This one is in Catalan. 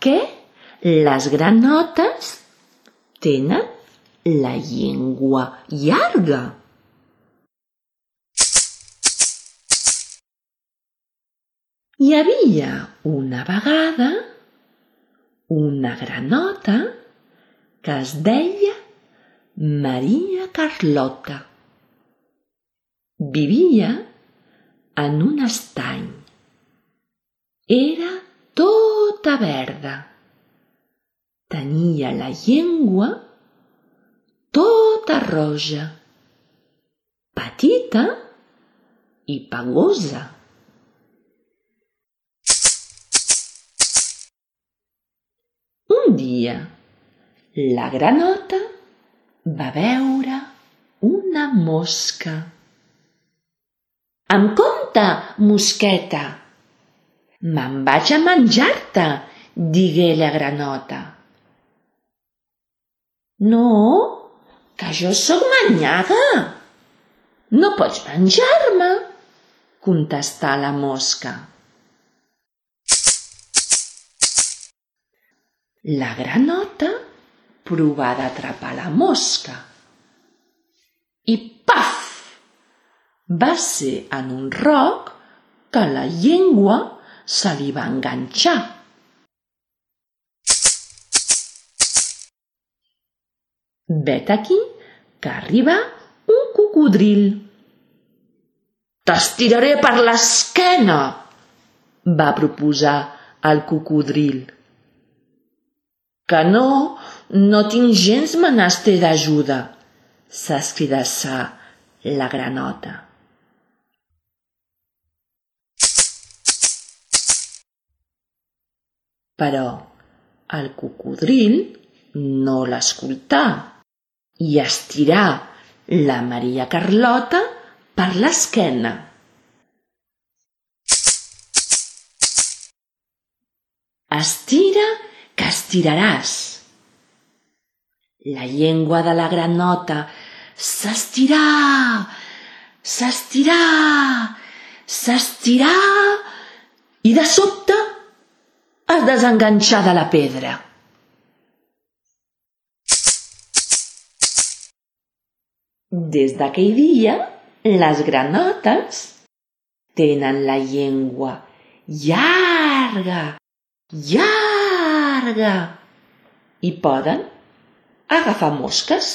què les granotes tenen la llengua llarga? Hi havia una vegada una granota que es deia Maria Carlota. Vivia en un estany. Era tota verda. Tenia la llengua tota roja, petita i pegosa. Un dia, la granota va veure una mosca. Amb compte, mosqueta! Me'n vaig a menjar-te, digué la granota. No, que jo sóc manyaga. No pots menjar-me, contestà la mosca. La granota provà d'atrapar la mosca i paf! Va ser en un roc que la llengua se li va enganxar. Vet aquí que arriba un cocodril. «T'estiraré per l'esquena», va proposar el cocodril. «Que no tinc gens menester d'ajuda», s'escridassà la granota. Però el cocodril no l'escoltà i estirà la Maria Carlota per l'esquena. Estira, que estiraràs. La llengua de la granota s'estirà, s'estirà, s'estirà i de sobte es desenganxà de la pedra. Des d'aquell dia, les granotes tenen la llengua llarga, llarga i poden agafar mosques.